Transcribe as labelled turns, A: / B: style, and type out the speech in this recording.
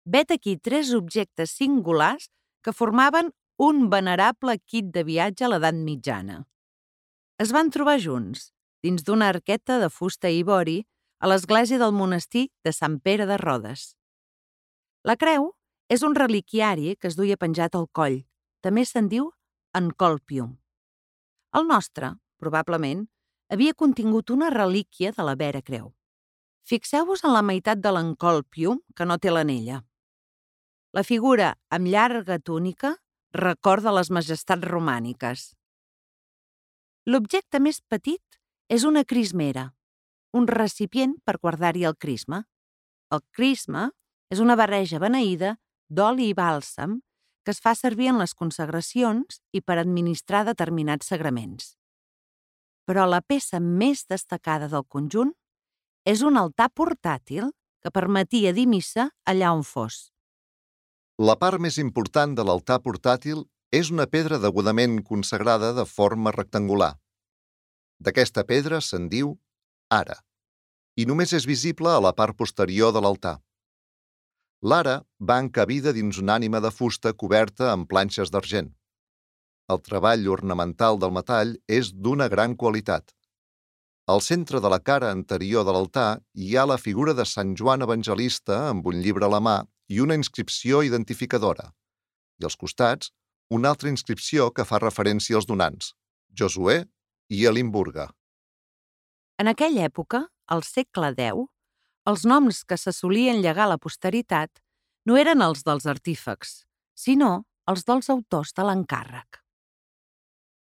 A: Vet aquí 3 objectes singulars que formaven un venerable kit de viatge a l'edat mitjana. Es van trobar junts, dins d'una arqueta de fusta i ivori, a l'església del monestir de Sant Pere de Rodes. La creu és un reliquiari que es duia penjat al coll. També se'n diu encolpium. El nostre, probablement, havia contingut una relíquia de la Vera Creu. Fixeu-vos en la meitat de l'encolpium que no té l'anella. La figura amb llarga túnica recorda les majestats romàniques. L'objecte més petit és una crismera, un recipient per guardar-hi el crisma. El crisma és una barreja beneïda d'oli i bàlsam que es fa servir en les consagracions i per administrar determinats sagraments. Però la peça més destacada del conjunt és un altar portàtil que permetia dir missa allà on fos.
B: La part més important de l'altar portàtil és una pedra degudament consagrada de forma rectangular. D'aquesta pedra se'n diu ara, i només és visible a la part posterior de l'altar. L'ara va encabida dins una ànima de fusta coberta amb planxes d'argent. El treball ornamental del metall és d'una gran qualitat. Al centre de la cara anterior de l'altar hi ha la figura de Sant Joan Evangelista amb un llibre a la mà i una inscripció identificadora, i als costats una altra inscripció que fa referència als donants, Josué i Elimburga.
A: En aquella època, al segle X, els noms que se solien llegar a la posteritat no eren els dels artífex, sinó els dels autors de l'encàrrec.